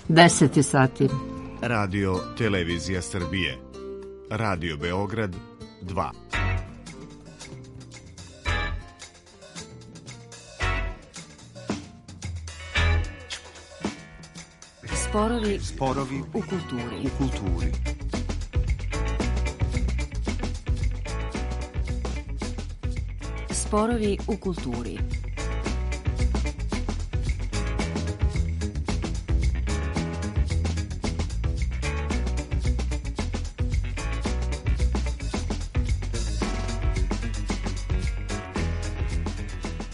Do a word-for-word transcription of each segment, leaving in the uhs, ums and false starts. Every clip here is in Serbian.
deset sati. Radio Televizija Srbije. Radio Beograd dva. Sporovi, Sporovi u kulturi. U kulturi. Sporovi u kulturi.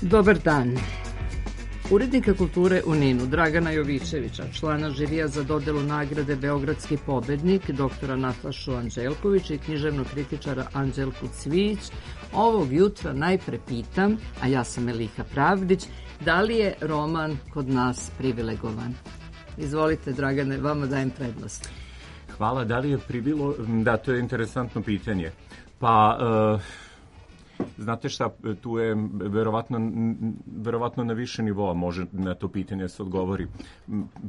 Dobar dan. Urednika kulture u Ninu, Dragana Jovićevića, člana žirija za dodelu nagrade Beogradski pobednik, doktora Natašu Anđelkovića i književnog kritičara Anđelku Cvijić, ovog jutra najpre pitam, a ja sam Eliha Pravdić, da li je roman kod nas privilegovan? Izvolite, Dragane, vama dajem prednost. Hvala, da li je privilo... Da, to je interesantno pitanje. Pa... Uh... Znate šta, tu je verovatno, verovatno na više nivoa može na to pitanje se odgovori.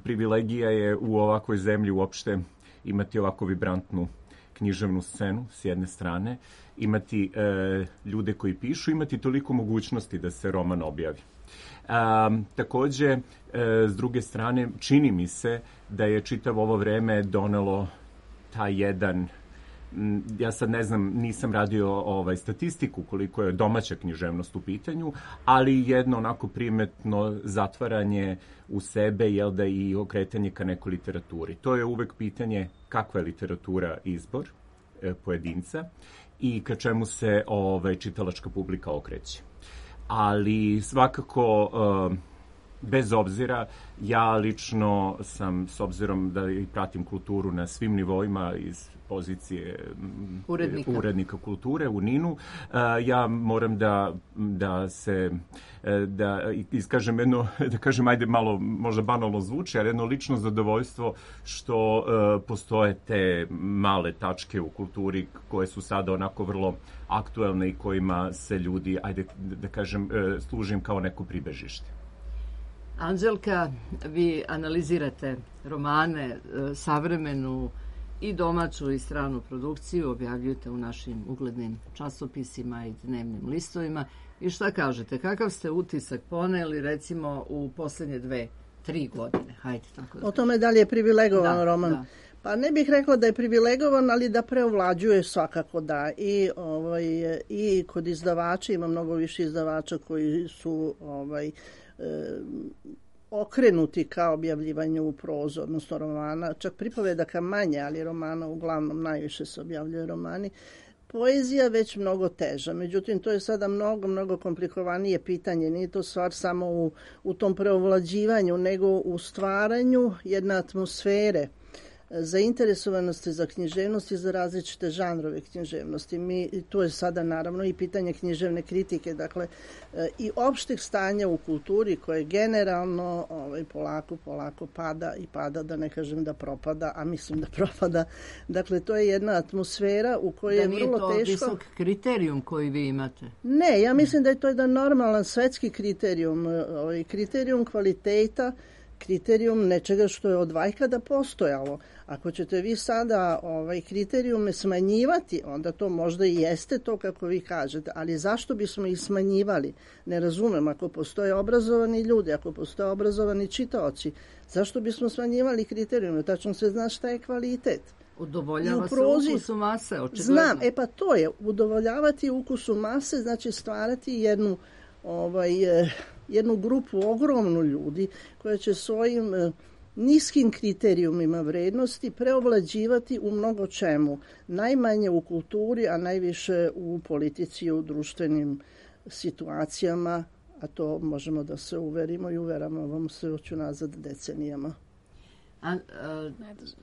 Privilegija je u ovakvoj zemlji uopšte imati ovako vibrantnu književnu scenu s jedne strane, imati e, ljude koji pišu, imati toliko mogućnosti da se roman objavi. A, takođe, e, s druge strane, čini mi se da je čitavo ovo vreme donelo taj jedan... Ja sad ne znam, nisam radio ovaj, statistiku koliko je domaća književnost u pitanju, ali jedno onako primetno zatvaranje u sebe, jel da, i okretanje ka nekoj literaturi. To je uvek pitanje kakva je literatura izbor e, pojedinca i ka čemu se ovaj, čitalačka publika okreće. Ali svakako... E, bez obzira, ja lično sam, s obzirom da i pratim kulturu na svim nivoima iz pozicije urednika, urednika kulture u Ninu, ja moram da, da se, da iskažem jedno, da kažem, ajde malo, možda banalno zvuči, ali jedno lično zadovoljstvo što postoje te male tačke u kulturi koje su sada onako vrlo aktuelne i kojima se ljudi, ajde da kažem, služim kao neko pribežište. Anđelka, vi analizirate romane, savremenu i domaću i stranu produkciju, objavljujete u našim uglednim časopisima i dnevnim listovima. I šta kažete, kakav ste utisak poneli recimo u poslednje dve, tri godine? Hajde, tako da. O tome da li je privilegovan da, roman? Da. Pa ne bih rekla da je privilegovan, ali da preovlađuje svakako da. I, ovaj, i kod izdavača ima mnogo više izdavača koji su... Ovaj, okrenuti ka objavljivanju u prozu, odnosno romana, čak pripovedaka manje, ali romana uglavnom najviše se objavljuje romani. Poezija već mnogo teža, međutim to je sada mnogo, mnogo komplikovanije pitanje, nije to stvar samo u, u tom preovlađivanju, nego u stvaranju jedne atmosfere zainteresovanosti za književnost i za različite žanrove književnosti. Mi, tu je sada naravno i pitanje književne kritike, dakle i opšteg stanja u kulturi koje generalno ovaj, polako, polako pada i pada, da ne kažem da propada, a mislim da propada. Dakle, to je jedna atmosfera u kojoj je vrlo teško... Da nije to visok kriterijum koji vi imate? Ne, ja mislim da je to jedan normalan svetski kriterijum, ovaj, kriterijum kvaliteta, kriterijum nečega što je od vajkada postojalo. Ako ćete vi sada ovaj, kriterijume smanjivati, onda to možda i jeste to kako vi kažete, ali zašto bismo ih smanjivali? Ne razumem, ako postoje obrazovani ljudi, ako postoje obrazovani čitaoci, zašto bismo smanjivali kriterijume? Tačno se zna šta je kvalitet. Udovoljava prozi... se ukusu mase, očigledno. Znam, e pa to je, udovoljavati ukusu mase, znači stvarati jednu ovaj, jednu grupu ogromnu ljudi koja će svojim eh, niskim kriterijumima vrednosti preovlađivati u mnogo čemu. Najmanje u kulturi, a najviše u politici i u društvenim situacijama, a to možemo da se uverimo i uveramo vam se oću nazad decenijama. A, a,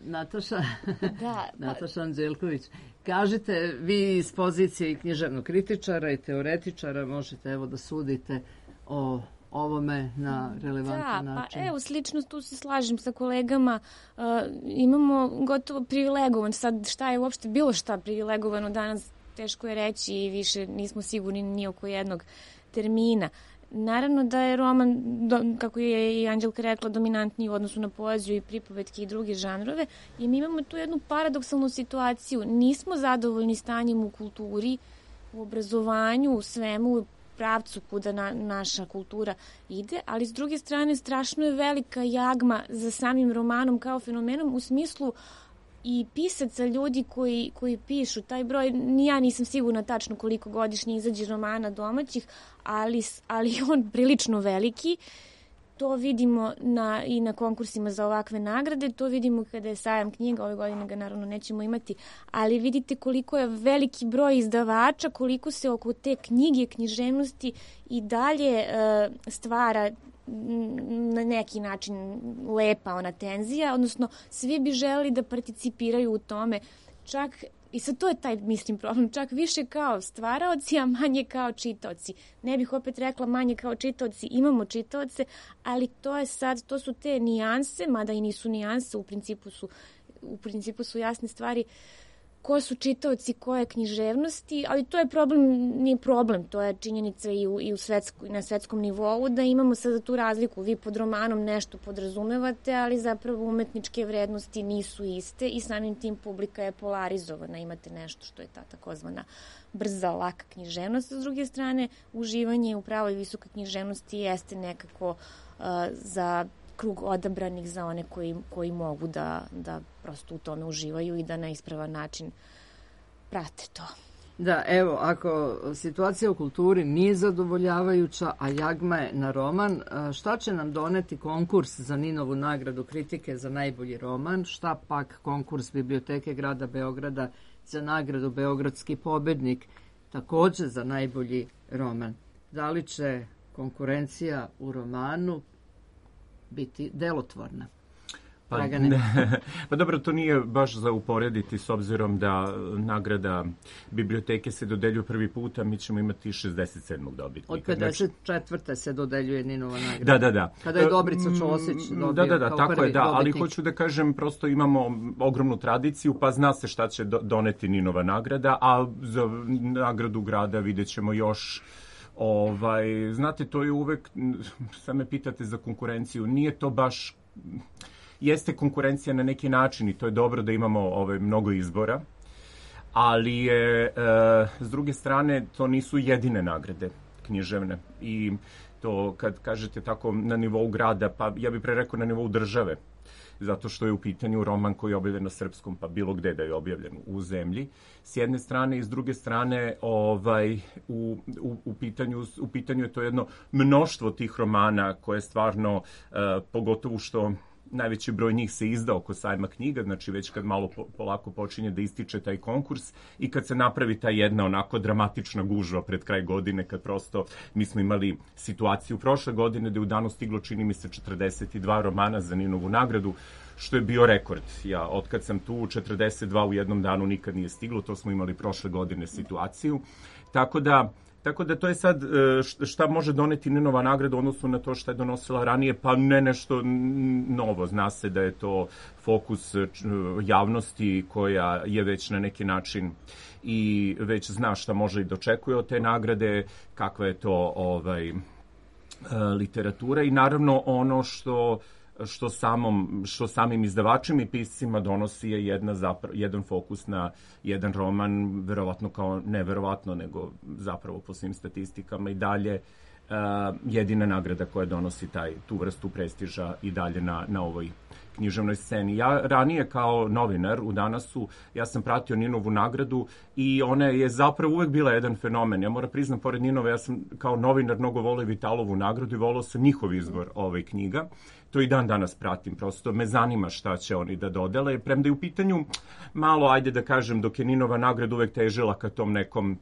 Nataša, da, Nataša Anđelković, kažete vi iz pozicije i književnog kritičara i teoretičara možete evo da sudite o ovome na relevantan da, način. Da, pa evo, slično tu se slažem sa kolegama. Uh, imamo gotovo privilegovan. Sad šta je uopšte bilo šta privilegovano danas, teško je reći i više nismo sigurni ni oko jednog termina. Naravno da je roman, do, kako je i Anđelka rekla, dominantniji u odnosu na poeziju i pripovetke i druge žanrove i mi imamo tu jednu paradoksalnu situaciju. Nismo zadovoljni stanjem u kulturi, u obrazovanju, u svemu, u pravcu kuda na, naša kultura ide, ali s druge strane strašno je velika jagma za samim romanom kao fenomenom u smislu i pisaca, ljudi koji, koji pišu. Taj broj, ni ja nisam sigurna tačno koliko godišnje izađe romana domaćih, ali, ali on prilično veliki. To vidimo na, i na konkursima za ovakve nagrade, to vidimo kada je sajam knjiga, ove godine ga naravno nećemo imati, ali vidite koliko je veliki broj izdavača, koliko se oko te knjige, književnosti i dalje uh, stvara na neki način lepa ona tenzija, odnosno svi bi želeli da participiraju u tome, čak i sad to je taj, mislim, problem, čak više kao stvaraoci, a manje kao čitaoci. Ne bih opet rekla manje kao čitaoci, imamo čitaoce, ali to je sad, to su te nijanse, mada i nisu nijanse, u principu su, u principu su jasne stvari, ko su čitaoci, koje književnosti, ali to je problem, nije problem, to je činjenica i, u, i u svetsko, na svetskom nivou, da imamo sada tu razliku. Vi pod romanom nešto podrazumevate, ali zapravo umetničke vrednosti nisu iste i samim tim publika je polarizovana. Imate nešto što je ta takozvana brza, laka književnost. S druge strane, uživanje u pravoj visokoj književnosti jeste nekako uh, za krug odabranih, za one koji, koji mogu da, da prosto u tome uživaju i da na ispravan način prate to. Da, evo, ako situacija u kulturi nije zadovoljavajuća, a jagma je na roman, šta će nam doneti konkurs za Ninovu nagradu kritike za najbolji roman? Šta pak konkurs Biblioteke grada Beograda za nagradu Beogradski pobednik, takođe za najbolji roman? Da li će konkurencija u romanu biti delotvorna? Pa, ne, pa dobro, to nije baš za uporediti s obzirom da nagrada biblioteke se dodeljuje prvi put, a mi ćemo imati šezdeset sedmog dobitnika. Od pedeset četvrte se dodeljuje Ninova nagrada. Da, da, da. Kada je Dobrica Ćosić dobio da, da, da, kao tako prvi je, da, dobitnik. ali hoću da kažem, prosto imamo ogromnu tradiciju, pa zna se šta će doneti Ninova nagrada, a za nagradu grada vidjet ćemo još. Ovaj, znate, to je uvek, sad me pitate za konkurenciju, nije to baš, jeste konkurencija na neki način i to je dobro da imamo ovaj, mnogo izbora, ali je, e, s druge strane, to nisu jedine nagrade književne i to kad kažete tako na nivou grada, pa ja bih pre rekao na nivou države, zato što je u pitanju roman koji je objavljen na srpskom, pa bilo gde da je objavljen u zemlji. S jedne strane i s druge strane ovaj, u, u, u, pitanju, u pitanju je to jedno mnoštvo tih romana koje stvarno, uh, pogotovo što najveći broj njih se izda oko sajma knjiga, znači već kad malo po, polako počinje da ističe taj konkurs i kad se napravi ta jedna onako dramatična gužva pred kraj godine, kad prosto mi smo imali situaciju prošle godine da je u danu stiglo, čini mi se, četrdeset dva romana za Ninovu nagradu, što je bio rekord. Ja, otkad sam tu, četrdeset dva u jednom danu nikad nije stiglo, to smo imali prošle godine situaciju. Tako da, Tako da to je sad šta može doneti Ninova nagrada u odnosu na to šta je donosila ranije, pa ne nešto novo. Zna se da je to fokus javnosti koja je već na neki način i već zna šta može i dočekuje od te nagrade, kakva je to ovaj, literatura i naravno ono što što samom što samim izdavačima i piscima donosi je jedna zapra, jedan fokus na jedan roman, verovatno kao ne verovatno, nego zapravo po svim statistikama i dalje uh, jedina nagrada koja donosi taj tu vrstu prestiža i dalje na na ovoj književnoj sceni. Ja ranije kao novinar u Danasu, ja sam pratio Ninovu nagradu i ona je zapravo uvek bila jedan fenomen. Ja moram priznam, pored Ninove, ja sam kao novinar mnogo volio Vitalovu nagradu i volio sam njihov izbor ove knjiga. To i dan danas pratim, prosto me zanima šta će oni da dodele. Premda je u pitanju malo, ajde da kažem, dok je Ninova nagrada uvek težila ka tom nekom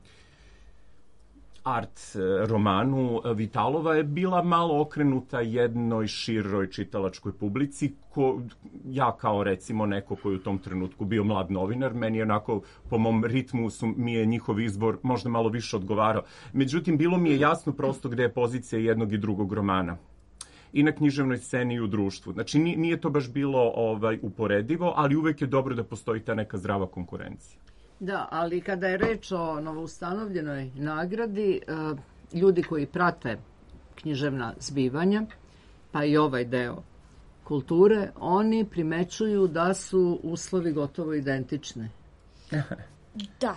art romanu, Vitalova je bila malo okrenuta jednoj široj čitalačkoj publici. Ko, ja kao recimo neko koji u tom trenutku bio mlad novinar, meni je onako po mom ritmu su, mi je njihov izbor možda malo više odgovarao. Međutim, bilo mi je jasno prosto gde je pozicija jednog i drugog romana. I na književnoj sceni i u društvu. Znači nije to baš bilo ovaj uporedivo, ali uvek je dobro da postoji ta neka zdrava konkurencija. Da, ali kada je reč o novoustanovljenoj nagradi, ljudi koji prate književna zbivanja, pa i ovaj deo kulture, oni primećuju da su uslovi gotovo identični. Da,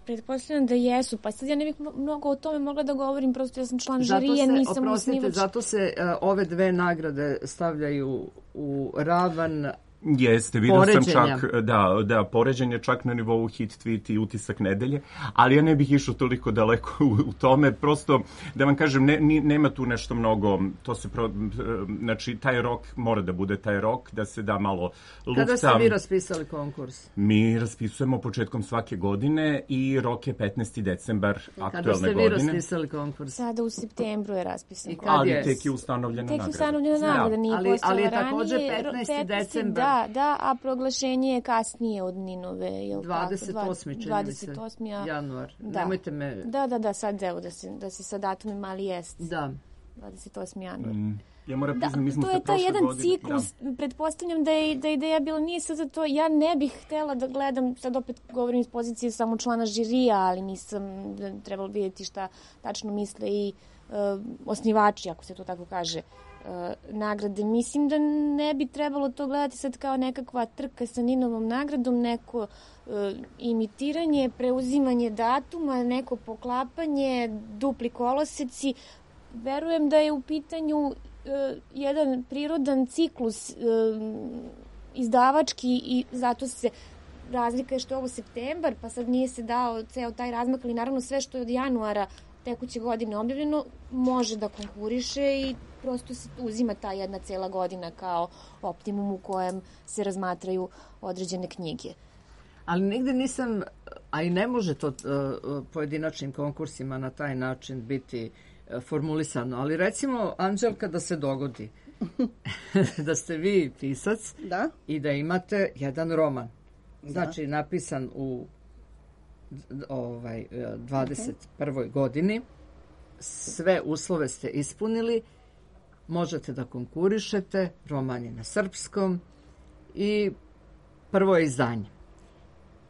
pretpostavljam da jesu, pa sad ja ne bih mnogo o tome mogla da govorim, prosto ja sam član žirije, nisam osnivač. Zato se uh, ove dve nagrade stavljaju u ravan Jeste, vidio sam čak, da, da, poređenje čak na nivou hit tweet i utisak nedelje, ali ja ne bih išao toliko daleko u, u tome, prosto da vam kažem, ne, nema tu nešto mnogo, to se, pro, znači, taj rok mora da bude taj rok, da se da malo lufta. Kada ste vi raspisali konkurs? Mi raspisujemo početkom svake godine i rok je petnaesti decembar aktuelne godine. Kada ste vi raspisali konkurs? Sada u septembru je raspisan konkurs. Ali tek je ustanovljena nagrada. Tek je ustanovljena nagrada, nije ali, postala ali je ranije. također petnaesti decembar. Da, da, a proglašenje je kasnije od Ninove, je li dvadeset osmi tako? dvadeset osmi januar. Da. Nemojte me... Da, da, da, sad evo da se, da se sa datumim mali jest. Da. dvadeset osmi januar. Mm. Ja moram priznam, mi smo to se je taj jedan godine, ciklus, da. Pretpostavljam da je, da je ideja bila, nije sad za to, ja ne bih htela da gledam, sad opet govorim iz pozicije samo člana žirija, ali nisam trebalo vidjeti šta tačno misle i uh, osnivači, ako se to tako kaže, nagrade. Mislim da ne bi trebalo to gledati sad kao nekakva trka sa Ninovom nagradom, neko uh, imitiranje, preuzimanje datuma, neko poklapanje, dupli koloseci. Verujem da je u pitanju uh, jedan prirodan ciklus uh, izdavački i zato se razlika je što je ovo septembar, pa sad nije se dao ceo taj razmak, ali naravno sve što je od januara tekuće godine objavljeno može da konkuriše i prosto se uzima ta jedna cela godina kao optimum u kojem se razmatraju određene knjige. Ali nigde nisam, a i ne može to uh, pojedinačnim konkursima na taj način biti uh, formulisano, ali recimo, Anđelka, da se dogodi da ste vi pisac da? I da imate jedan roman. Znači, da. Napisan u ovaj, dvadeset prvoj godini, sve uslove ste ispunili, možete da konkurišete, roman je na srpskom i prvo je izdanje.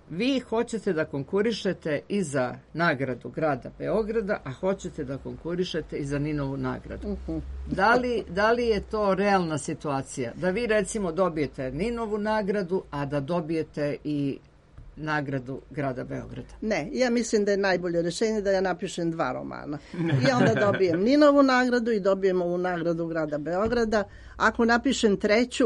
Vi hoćete da konkurišete i za nagradu grada Beograda, a hoćete da konkurišete i za Ninovu nagradu. Uh-huh. Da li, da li je to realna situacija? Da vi recimo dobijete Ninovu nagradu, a da dobijete i nagradu grada Beograda? Ne, ja mislim da je najbolje rješenje da ja napišem dva romana. I onda dobijem Ninovu nagradu i dobijem ovu nagradu grada Beograda. Ako napišem treću,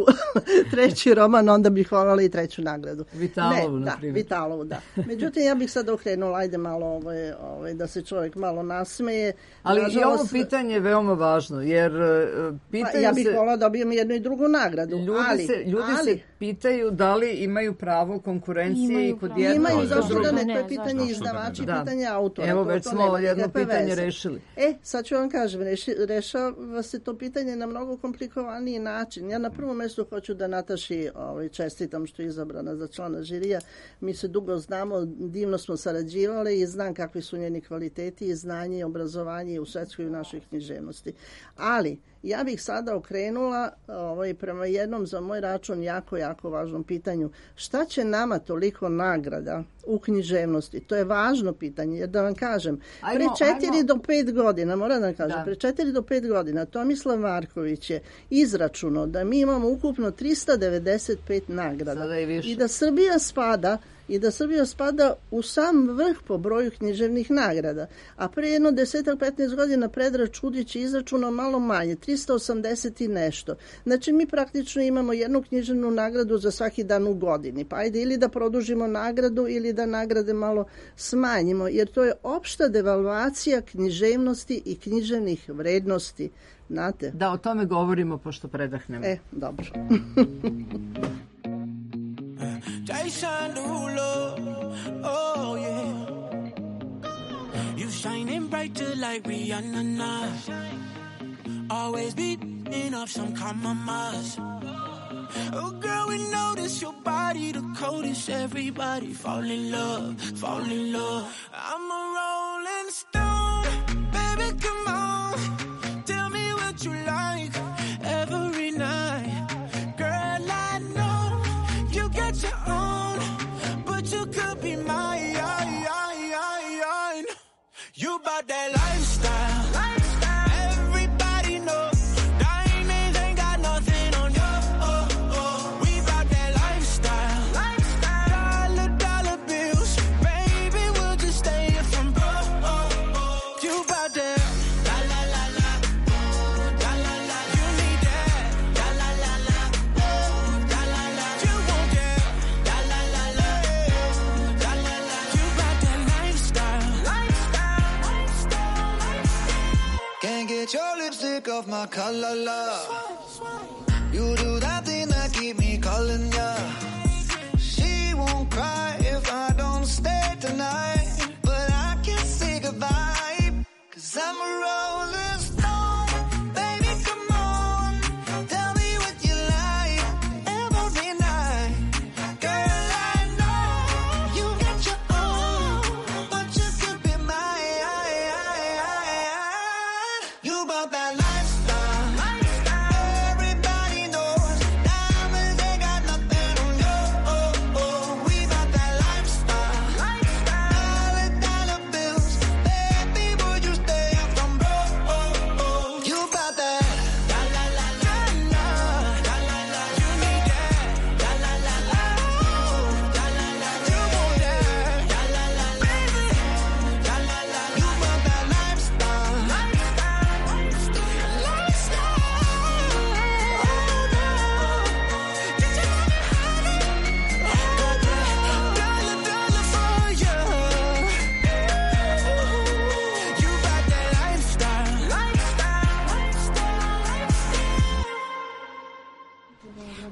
treći roman, onda bih voljela i treću nagradu. Vitalovu, ne, na da, primjer. Vitalovu, da. Međutim, ja bih sad okrenula, ajde malo ovaj, ovaj, da se čovjek malo nasmeje. Ali nažalost, i ovo pitanje je veoma važno, jer uh, pitaju pa, ja bih se... voljela da dobijem jednu i drugu nagradu. Ljudi, ali, se, ljudi ali, se pitaju da li imaju pravo konkurencije i kod jednog. Imaju, zašto da ne, ne, to je pitanje zašto? izdavača i da. pitanje autora. Evo, to, već to smo jedno pitanje veze. rešili. E, sad ću vam kažem, reši, rešava se to pitanje na mnogo komplikovaniji način. Ja na prvom mjestu hoću da Nataši ovaj, čestitam što je izabrana za člana žirija. Mi se dugo znamo, divno smo sarađivali i znam kakvi su njeni kvaliteti i znanje i obrazovanje u svetskoj i u našoj književnosti. Ali, ja bih sada okrenula ovaj, prema jednom za moj račun jako, jako važnom pitanju. Šta će nama toliko nagrada u književnosti? To je važno pitanje, jer da vam kažem, ajmo, pre četiri ajmo. do pet godina, moram da vam kažem, da. pre četiri do pet godina Tomislav Marković je izračunao da mi imamo ukupno trista devedeset pet nagrada i da Srbija spada i da Srbija spada u sam vrh po broju književnih nagrada. A pre jedno desetak petnaest godina Predrag Čudić je izračunao malo manje, trista osamdeset i nešto. Znači mi praktično imamo jednu književnu nagradu za svaki dan u godini. Pa ajde ili da produžimo nagradu ili da nagrade malo smanjimo, jer to je opšta devalvacija književnosti i književnih vrednosti. Znate? Da, o tome govorimo pošto predahnemo. E, dobro. Jason Derulo, oh yeah. You shining brighter like Rihanna now. Always beating up some compromise. Oh girl, we notice your body the coldest. Everybody fall in love, fall in love. I'm a rolling stone, baby, come on. Tell me what you like every night. Girl, I know you get your own, but you could be mine. You bought that lifestyle, lifestyle. off my color, love. You do that thing that keep me calling ya. She won't cry if I don't stay tonight, but I can't say goodbye, 'cause I'm a rolling stone. Baby, come on, tell me what you like every night. Girl, I know you got your own, but you could be mine. You bought that lifestyle. Everybody knows diamonds ain't got nothing on you. Oh, oh, we bought that lifestyle. Dollar, dollar bills. Baby, would you stay up from broke? Oh, oh, you bought that. La la la la la, la la la. You need that. La la la la, oh, la la la. You want that. La la la la, la la la. You bought that lifestyle.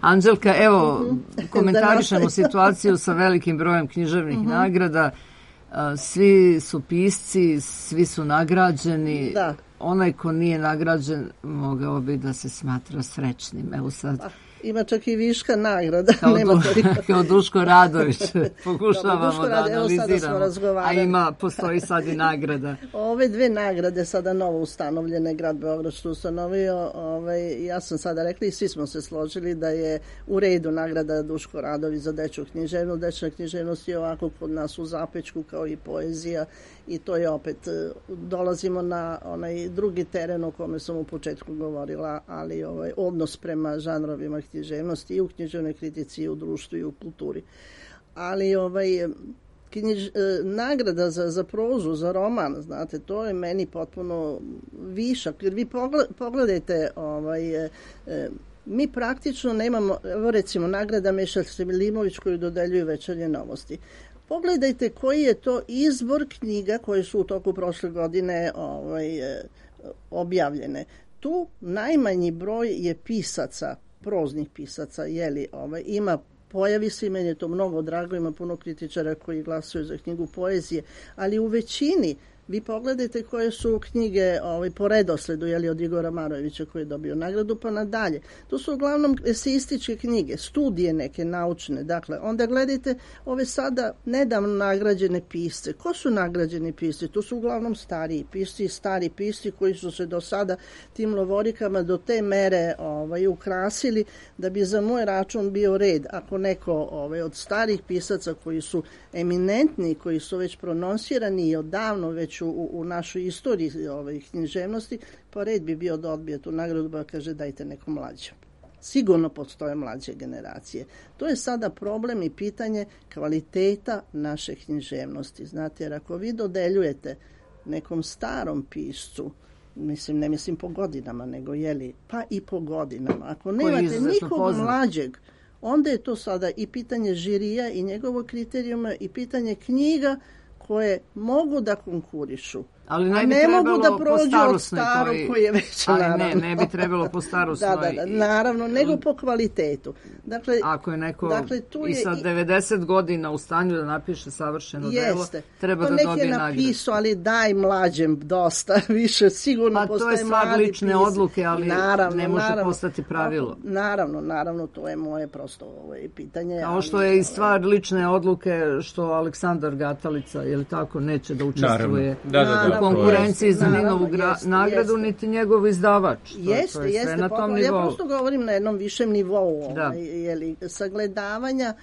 Anđelka, evo, komentarišemo situaciju sa velikim brojem književnih Mhm. nagrada. A, Svi su pisci, svi su nagrađeni. Da. Onaj ko nije nagrađen mogao bi da se smatra srećnim. Evo sad, Ima čak i viška nagrada. kao, Nema Du, toliko. kao Duško Radović, pokušavamo Dobro, Duško da Radović, evo sada smo analiziramo. A razgovarali. ima, postoji sad i nagrada. Ove dve nagrade sada novo ustanovljene, grad Beograd što ustanovio, ovaj, ja sam sada rekla i svi smo se složili da je u redu nagrada Duško Radović za dečju književnost. Dečja književnost je ovako kod nas u zapećku kao i poezija i to je opet, eh, dolazimo na onaj drugi teren o kome sam u početku govorila, ali ovaj, odnos prema žanrovima književnosti i u književnoj kritici i u društvu i u kulturi. Ali ovaj, knjiž, e, nagrada za, za prozu, za roman, znate, to je meni potpuno višak. Jer vi pogled, pogledajte, ovaj, e, e, mi praktično nemamo, evo recimo, nagrada Meša Selimović koju dodeljuju Večernje novosti. Pogledajte koji je to izbor knjiga koje su u toku prošle godine ovaj, e, objavljene. Tu najmanji broj je pisaca, proznih pisaca, jeli, ovaj, ima, pojavi se i meni je to mnogo drago, ima puno kritičara koji glasuju za knjigu poezije, ali u većini vi pogledajte koje su knjige ovaj, po redosledu, jeli, od Igora Marojevića koji je dobio nagradu pa nadalje. To su uglavnom eseističke knjige, studije neke naučne. Dakle, onda gledajte ove sada nedavno nagrađene pisce. Ko su nagrađeni pisci? To su uglavnom stariji pisci i stari pisci koji su se do sada tim lovorikama do te mere ovaj, ukrasili da bi za moj račun bio red. Ako neko ovaj, od starih pisaca koji su eminentni, koji su već prononsirani i odavno već u, u našoj istoriji ovaj, književnosti, pa red bi bio da odbije tu nagradu, pa kaže dajte nekom mlađem. Sigurno postoje mlađe generacije. To je sada problem i pitanje kvaliteta naše književnosti. Znate, jer ako vi dodeljujete nekom starom piscu, mislim, ne mislim po godinama, nego jeli, pa i po godinama. Ako nemate nikog poznat. Mlađeg, onda je to sada i pitanje žirija i njegovog kriterijuma i pitanje knjiga koje mogu da konkurišu. Ali ne, a bi ne mogu da prođu od starog koji, koji je već, ali naravno. ne, ne bi trebalo po starosnoj. da, da, da, naravno, nego po kvalitetu. Dakle, ako je neko dakle, tu i je sa devedeset godina u stanju da napiše savršeno delo, treba pa da dobije nagradu. Pa neki je napisao, ali daj mlađem dosta, više sigurno pa postaje mladi. Pa to je stvar lične pis. odluke, ali naravno, ne može naravno, postati pravilo. Naravno, naravno, to je moje prosto ovaj, pitanje. Kao što je i stvar lične odluke što Aleksandar Gatalica, je li tako, neće da učestvuje da, da, da, u konkurenciji za naravno, Ninovu gra, jeste, nagradu, jeste. niti njegov izdavač. Jeste, to je sve jeste, na tom ja nivou. prosto govorim na jednom višem nivou, da. ovaj, jeli, sagledavanja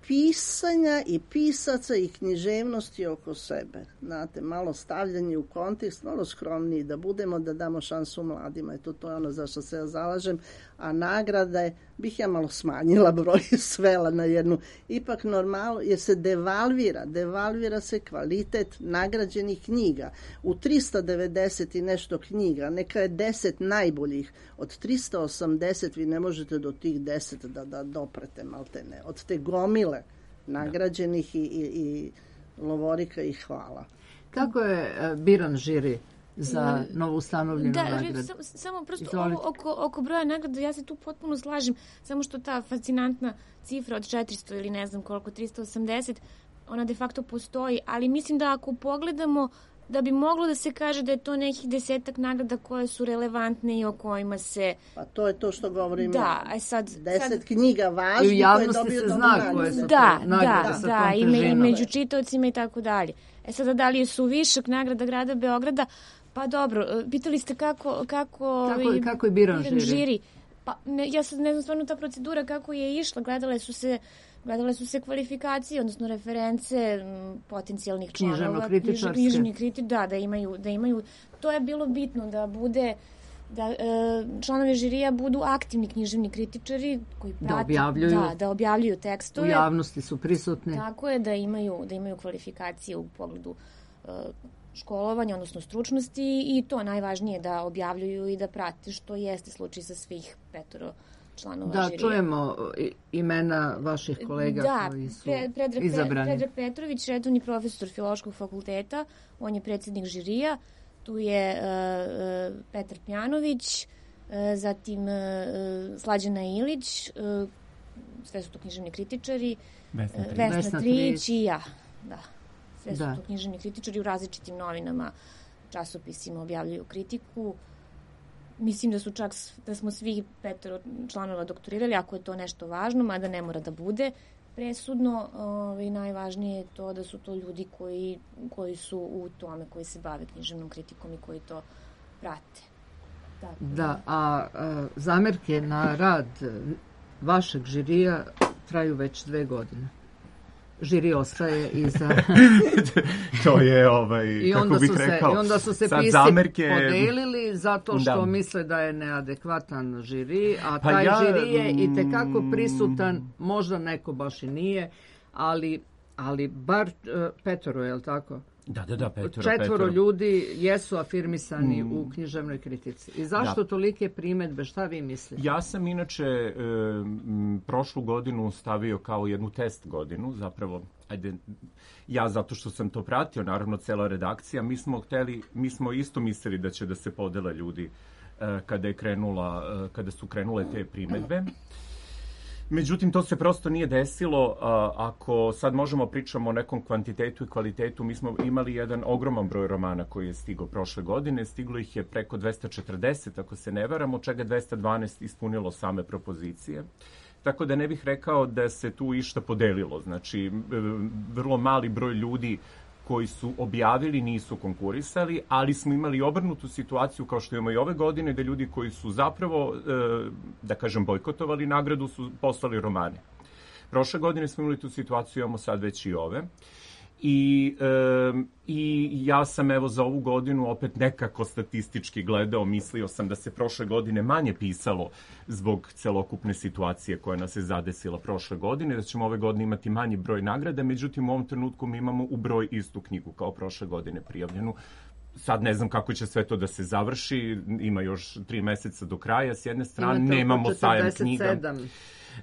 pisanja i pisaca i književnosti oko sebe. Znate, malo stavljanje u kontekst, malo skromniji da budemo, da damo šansu mladima. Eto, to je ono za što se ja zalažem. A nagrade bih ja malo smanjila broj, svela na jednu. Ipak normalno, jer se devalvira, devalvira se kvalitet nagrađenih knjiga. U trista devedeset i nešto knjiga, neka je deset najboljih, od trista osamdeset vi ne možete do tih deset da, da doprete, maltene. Od te gomile nagrađenih i, i, i lovorika i hvala. Kako je biran žiri za novo ustanovljenu da, nagradu. Sam, samo prosto Izvolite. ovo oko, oko broja nagrada, ja se tu potpuno slažem, samo što ta fascinantna cifra od četiristo ili ne znam koliko, tristo osamdeset, ona de facto postoji, ali mislim da ako pogledamo da bi moglo da se kaže da je to nekih desetak nagrada koje su relevantne i o kojima se... Pa to je to što govorim. Da, a sad... Deset sad... knjiga I u važnih koje javnosti dobiju se dobru zna nagradu. koje su to Da, nagrade da, sa da, tom i, me, i težinom. među čitaocima i tako dalje. E sada, da li su višak nagrada grada Beograda? Pa dobro, pitali ste kako... Kako, Kako je- kako je biran žiri? žiri. Pa ne, ja sad ne znam stvarno ta procedura kako je išla. Gledale su se... Gledale su se kvalifikacije, odnosno reference m, potencijalnih članova. Književno-kritičarske. Književni kriti, da, da imaju, da imaju. To je bilo bitno da bude da e, članovi žirija budu aktivni književni kritičari koji prate, Da objavljuju. da, da objavljuju U tekstove. javnosti su prisutni. Tako je, da imaju, da imaju kvalifikacije u pogledu e, školovanja, odnosno stručnosti, i to najvažnije da objavljuju i da prate, što jeste slučaj sa svih petoro članova Da, žirija. čujemo i- imena vaših kolega Da, koji su Pre- Predrag, Pe- izabrani. Predrag Petrović, redovni profesor Filološkog fakulteta, on je predsjednik žirija. Tu je uh, uh, Petar Pjanović, uh, zatim uh, Slađana Ilić, uh, sve su to književni kritičari, Vesna uh, Trić. Vesna Vesna Trić Trić. i ja. Da. Sve su Da. to književni kritičari, u različitim novinama, časopisima objavljuju kritiku. Mislim da su čak, s- da smo svi petoro članova doktorirali, ako je to nešto važno, mada ne mora da bude presudno. Ovaj, najvažnije je to da su to ljudi koji, koji su u tome, koji se bave književnom kritikom i koji to prate. Tako Da, a, a zamerke na rad vašeg žirija traju već dve godine. Žiri ostaje iza... To je, ovaj, I kako onda bih su se, rekao, i onda su se sad pisci zamerke... podelili zato što Da. misle da je neadekvatan žiri, a Pa taj ja, žiri je i tekako mm, prisutan, možda neko baš i nije, ali, ali bar uh, petoro, je li tako? Da, da, da, petoro, Četvoro petoro. ljudi jesu afirmisani Mm. u književnoj kritici. I zašto Da. tolike primetbe? Šta vi mislite? Ja sam inače e, m, prošlu godinu stavio kao jednu test godinu, zapravo, ajde, ja zato što sam to pratio, naravno cela redakcija, mi smo hteli, mi smo isto mislili da će da se podele ljudi e, kada je krenula, e, kada su krenule te primetbe. Međutim, to se prosto nije desilo. A, ako sad možemo pričamo o nekom kvantitetu i kvalitetu, mi smo imali jedan ogroman broj romana koji je stigao prošle godine. Stiglo ih je preko dvesta četrdeset, ako se ne varam, od čega dvesta dvanaest ispunilo same propozicije. Tako da ne bih rekao da se tu išta podelilo. Znači, e, vrlo mali broj ljudi koji su objavili nisu konkurisali, ali smo imali obrnutu situaciju kao što imamo i ove godine, da ljudi koji su zapravo, e, da kažem, bojkotovali nagradu su poslali romane. Prošle godine smo imali tu situaciju, imamo sad već i ove. I, e, I ja sam evo za ovu godinu opet nekako statistički gledao, mislio sam da se prošle godine manje pisalo zbog celokupne situacije koja nas je zadesila prošle godine, da ćemo ove godine imati manji broj nagrada, međutim u ovom trenutku mi imamo u broj istu knjigu kao prošle godine prijavljenu. Sad ne znam kako će sve to da se završi, ima još tri meseca do kraja, s jedne strane Imate oko nemamo sajam četrdeset knjiga. sedam.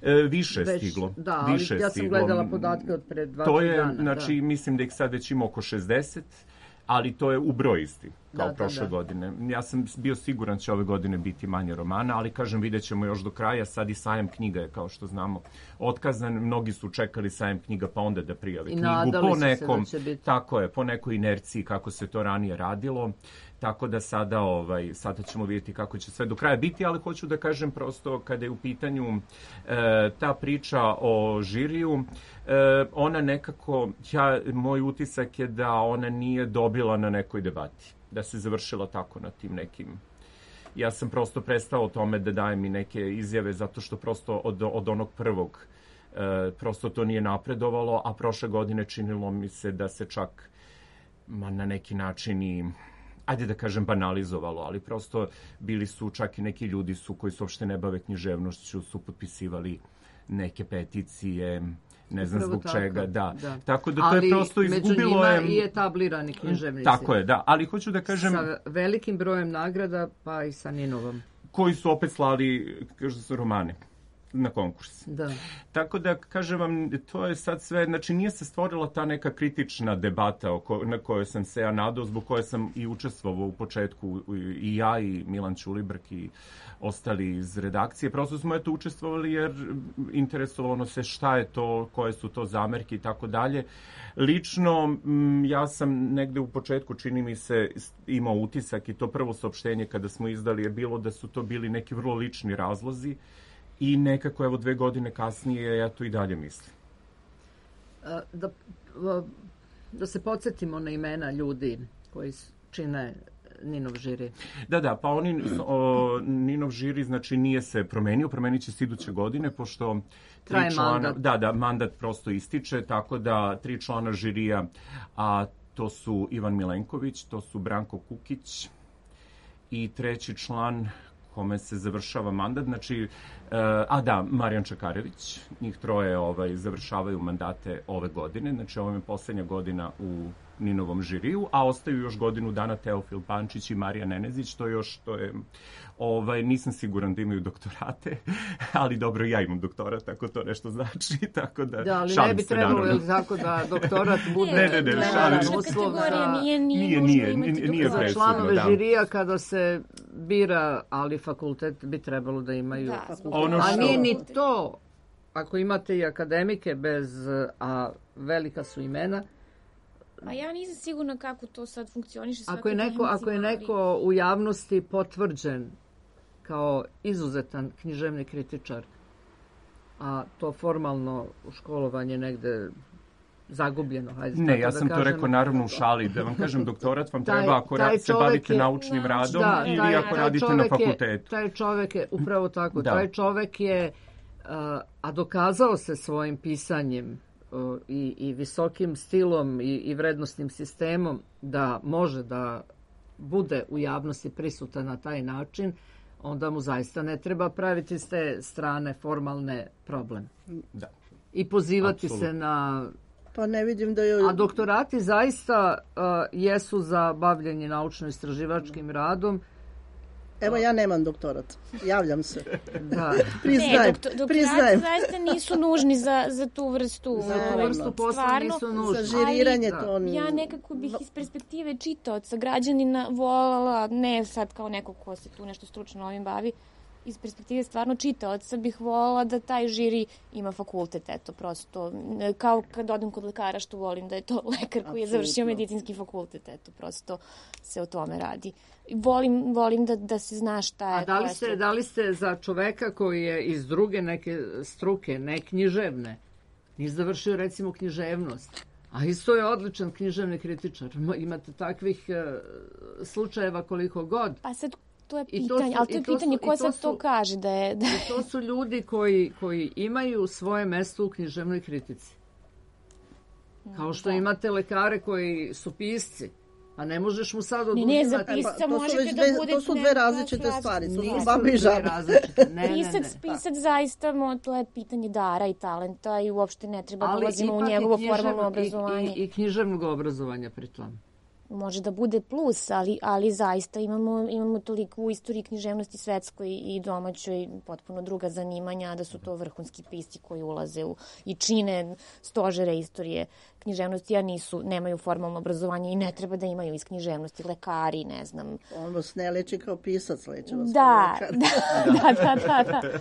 E, više je Već, stiglo. da, ali više je ja sam stiglo. gledala podatke od pre dva, To tri je, dana. znači, da. mislim da ih sad već ima oko šezdeset, ali to je u broj isti, kao Da, da, prošle da. godine. Ja sam bio siguran će ove godine biti manje romana, ali kažem, vidjet ćemo još do kraja. Sad i sajam knjiga je, kao što znamo, otkazan. Mnogi su čekali sajam knjiga pa onda da prijave I knjigu. nadali Po su se nekom, da će biti. tako je, po nekoj inerciji kako se to ranije radilo. Tako da sada, ovaj, sada ćemo vidjeti kako će sve do kraja biti, ali hoću da kažem prosto kada je u pitanju e, ta priča o žiriju, e, ona nekako, ja, moj utisak je da ona nije dobila na nekoj debati, da se završila tako na tim nekim. Ja sam prosto prestao o tome da dajem i neke izjave zato što prosto od, od onog prvog e, prosto to nije napredovalo, a prošle godine činilo mi se da se čak ma, na neki način i ajde da kažem banalizovalo, ali prosto bili su čak i neki ljudi su koji se uopšte ne bave književnošću, su potpisivali neke peticije, ne znam Upravo zbog tako, čega, da. da. Tako da to Ali je prosto izgubilo među je... njima i etablirani književnici. Tako je, da, ali hoću da kažem Sa velikim brojem nagrada, pa i sa Ninovom. koji su opet slali, kažu da su romane. na konkurs. Da. Tako da, kažem vam, to je sad sve, znači nije se stvorila ta neka kritična debata oko, na kojoj sam se ja nadao, zbog koje sam i učestvovao u početku, i ja i Milan Ćulibrk i ostali iz redakcije. Prosto smo eto učestvovali jer interesovalo se šta je to, koje su to zamerke i tako dalje. Lično, ja sam negde u početku, čini mi se, imao utisak i to prvo saopštenje kada smo izdali je bilo da su to bili neki vrlo lični razlozi i nekako, evo, dve godine kasnije ja to i dalje mislim. Da, da se podsjetimo na imena ljudi koji čine Ninov žiri. Da, da, pa oni, o, Ninov žiri, znači, nije se promenio, promenit će se iduće godine, pošto tri traje člana, mandat. Da, da, mandat prosto ističe, tako da tri člana žirija, a to su Ivan Milenković, to su Branko Kukić i treći član kome se završava mandat, znači, a da, Marijan Čakarević, njih troje ovaj, završavaju mandate ove godine, znači ovo je poslednja godina u Ninovom žiriju, a ostaju još godinu dana Teofil Pančić i Marija Nenezić, to još, to je, ovaj, nisam siguran da imaju doktorate, ali dobro, ja imam doktorat, tako to nešto znači, tako da, da, ali šalim ne bi se, trebalo, naravno. je tako da doktorat bude Ne, ne, ne, šalim se. uslov za... Nije, Nije, nije, nije, nije za presudno, članove da. žirija kada se bira, ali fakultet bi trebalo da imaju Da, fakultet. ono A što- nije ni to, ako imate i akademike bez, a velika su imena, A ja nisam sigurna kako to sad funkcioniše. ako je neko, ako je neko u javnosti potvrđen kao izuzetan književni kritičar, a to formalno školovanje negde zagubljeno. Hajde, Ne, tako ja da sam to kažem. rekao naravno u šali, da vam kažem doktorat vam Taj- treba ako taj rad, se čovek bavite je- naučnim radom Da, ili taj- ako taj radite na čovek je- fakultetu. Taj čovek je, upravo tako, Da. taj čovek je, uh, a dokazao se svojim pisanjem uh, i, i visokim stilom i, i vrednostnim sistemom da može da bude u javnosti prisutan na taj način, onda mu zaista ne treba praviti s te strane formalne problem. Da. I pozivati Apsolutno. se na... Pa ne vidim da je... A doktorati zaista uh, jesu za bavljenje naučno-istraživačkim radom. Evo, ja nemam doktorat. Javljam se. Da. Priznajem. Ne, doktor, doktorati priznajem. zaista nisu nužni za, za tu vrstu. Za tu ovaj, vrstu posla stvarno, nisu nužni. Za žiriranje Ali- to... Ja nekako bih iz perspektive čitaoca, građanina volala, ne sad kao neko ko se tu nešto stručno ovim bavi, iz perspektive stvarno čitaoca bih volala da taj žiri ima fakultet, eto, prosto, kao kad odem kod lekara što volim da je to lekar koji je završio Apsolutno. medicinski fakultet, eto, prosto se o tome radi. Volim, volim da, da se zna šta je. A da li, koja je ste, struka. da li ste za čoveka koji je iz druge neke struke, ne književne, nije završio recimo književnost, a isto je odličan književni kritičar. Ma, imate takvih e, slučajeva koliko god. Pa sad, to je I to pitanje, su- ali to i je to su- pitanje i ko to sad to su- kaže da je... Da... I to su ljudi koji, koji imaju svoje mesto u književnoj kritici. Kao što Da. imate lekare koji su pisci, a ne možeš mu sad Ne, ne, za oduzimati... pisca to su možete već da dve- budete to su dve neka različite različita- stvari. To su Nisu baba i dve žaba. različite. Ne, ne, ne. Pisac, pisac zaista, mo, to je pitanje dara i talenta i uopšte ne treba da Ali ulazimo u ipak i njegovo književno- formalno i- obrazovanje. I, i književnog obrazovanja pritom. Može da bude plus, ali, ali zaista imamo, imamo toliko u istoriji književnosti svetskoj i domaćoj potpuno druga zanimanja, da su to vrhunski pisci koji ulaze u, i čine stožere istorije književnosti, a nisu, nemaju formalno obrazovanje i ne treba da imaju iz književnosti, lekari, ne znam. On vas ne leči kao pisac, leči vas Da, kao lekar. da, da, da, da. da.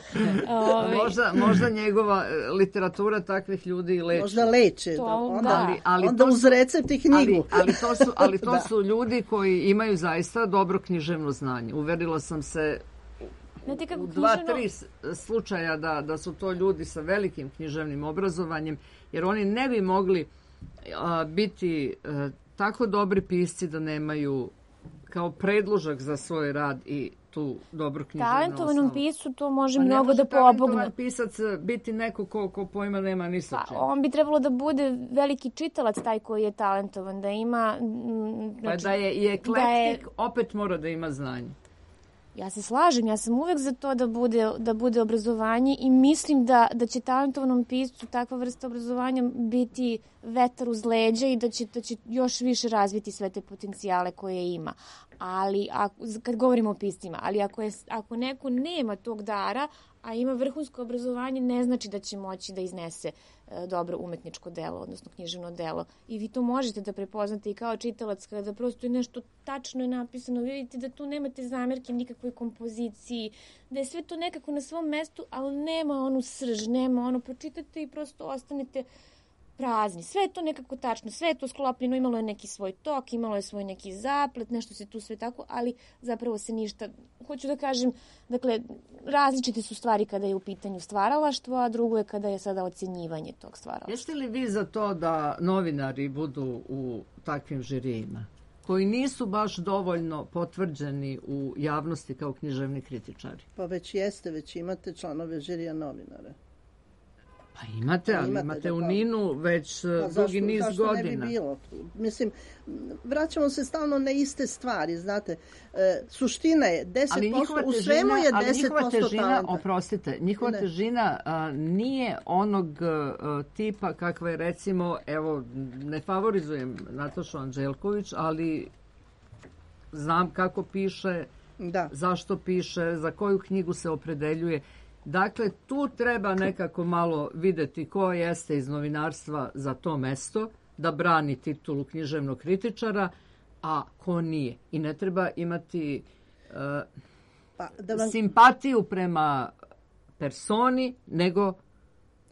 Ove, Možda, možda njegova e, literatura takvih ljudi i leči. Možda leče. To, Da, onda da. Ali- ali onda to uz su- recept i Ali, knjigu. ali to, su, ali to Da. su ljudi koji imaju zaista dobro književno znanje. Uverila sam se znate kako u dva, književno- tri s- slučaja da, da su to ljudi sa velikim književnim obrazovanjem, jer oni ne bi mogli a, biti a, tako dobri pisci da nemaju kao predložak za svoj rad i tu dobru književnu Talentovanom osnovu. piscu to može Pa ne mnogo može da talentovan pomogne. pisac biti neko ko, ko pojma nema ni sa Pa, čim. on bi trebalo da bude veliki čitalac taj koji je talentovan, da ima... mm, Pa znači, da je i eklektik, da je- opet mora da ima znanje. Ja se slažem, ja sam uvek za to da bude, da bude obrazovanje i mislim da, da će talentovanom piscu takva vrsta obrazovanja biti vetar uz leđa i da će, da će još više razviti sve te potencijale koje ima. ali ako, kad govorimo o piscima, ali ako, je, ako neko nema tog dara, a ima vrhunsko obrazovanje, ne znači da će moći da iznese e, dobro umetničko delo, odnosno književno delo. I vi to možete da prepoznate i kao čitalac, kada prosto je nešto tačno je napisano, vi vidite da tu nemate zamerke nikakvoj kompoziciji, da je sve to nekako na svom mestu, ali nema onu srž, nema ono, pročitate i prosto ostanete prazni. Sve je to nekako tačno, sve je to sklopljeno, imalo je neki svoj tok, imalo je svoj neki zaplet, nešto se tu sve tako, ali zapravo se ništa, hoću da kažem, dakle, različite su stvari kada je u pitanju stvaralaštvo, a drugo je kada je sada ocjenjivanje tog stvaralaštva. Jeste li vi za to da novinari budu u takvim žirijima, koji nisu baš dovoljno potvrđeni u javnosti kao književni kritičari? Pa već jeste, već imate članove žirija novinara. Pa imate, ali Imate, imate da, u pa- Ninu već Pa dugi zašto, niz zašto godina. ne bi bilo? Mislim, vraćamo se stalno na iste stvari, znate. E, suština je deset Ali posto, njihova u svemu težina, je ali njihova deset posto težina, talenta. oprostite, njihova Ne. težina a, nije onog a, tipa kakva je recimo, evo, ne favorizujem Natašu Anđelković, ali znam kako piše, Da. zašto piše, za koju knjigu se opredeljuje. Dakle, tu treba nekako malo videti ko jeste iz novinarstva za to mesto, da brani titulu književnog kritičara, a ko nije. I ne treba imati uh, Pa, da vam, simpatiju prema personi, nego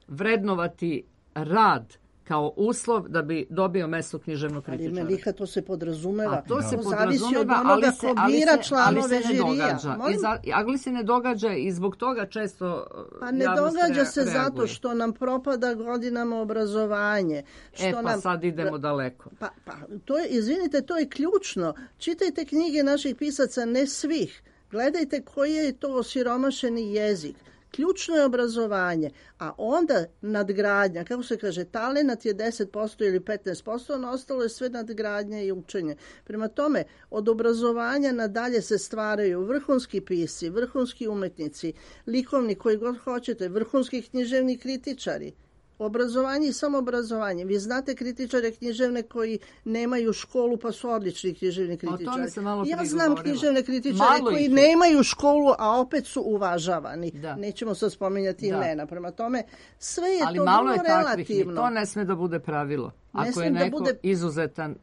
vrednovati rad kao uslov da bi dobio mesto književnog ali kritičara. Meliha, to se podrazumeva. A to se zavisi od podrazumeva, onoga ali ko se, ali bira se, ali članove se ne žirija. događa. I Molim? za, ali se ne događa i zbog toga često uh, Pa ne javnost događa rea- se zato reaguje. što nam propada godinama obrazovanje. Što E, pa nam, sad idemo daleko. Pa, pa to je, izvinite, to je ključno. Čitajte knjige naših pisaca, ne svih. Gledajte koji je to osiromašeni jezik. Ključno je obrazovanje, a onda nadgradnja, kako se kaže, talenat je deset posto ili petnaest posto, ono ostalo je sve nadgradnja i učenje. Prema tome, od obrazovanja nadalje se stvaraju vrhunski pisci, vrhunski umetnici, likovni koji god hoćete, vrhunski književni kritičari. Obrazovanje i samoobrazovanje. Vi znate kritičare književne koji nemaju školu pa su odlični književni kritičari. tome sam malo Ja prije znam govorila. književne kritičare Malo koji ih je. nemaju školu, a opet su uvažavani. Da. Nećemo sad spominjati Da. imena. Prema tome, sve je Ali to malo vrlo je takvih. relativno. To ne sme da bude pravilo. Ako je smem da neko bude- izuzetan,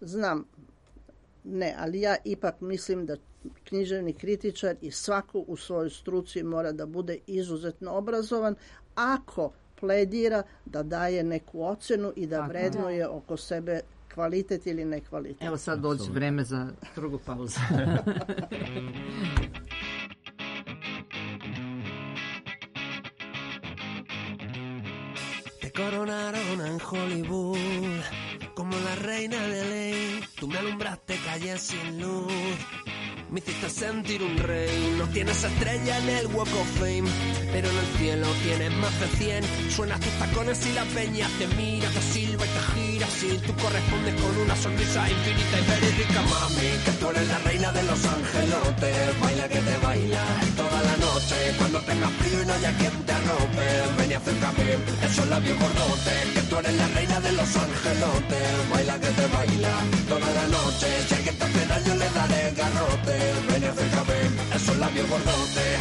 Znam, ne, ali ja ipak mislim da književni kritičar i svako u svojoj struci mora da bude izuzetno obrazovan ako pledira da daje neku ocenu i da Tako. vrednuje oko sebe kvalitet ili nekvalitet. evo sad dođe vreme za drugu pauzu. Te coronaron en Hollywood como la reina de ley. Tú me alumbraste calles sin luz, me hiciste sentir un rey. No tienes estrella en el Walk of Fame, pero en el cielo tienes más de cien. Suenas tus tacones y la peña te mira, te silba y te gira. Si tú correspondes con una sonrisa infinita y verídica, mami, que tú eres la reina de los angelotes. Baila que te baila toda la noche. Cuando tengas frío y no haya quien te arrope, ven y acércame esos labios gordotes. Que tú eres la reina de los angelotes. Baila que te baila toda la noche. Si alguien te hace daño le daré garrote. Ven y acércame esos labios gordotes.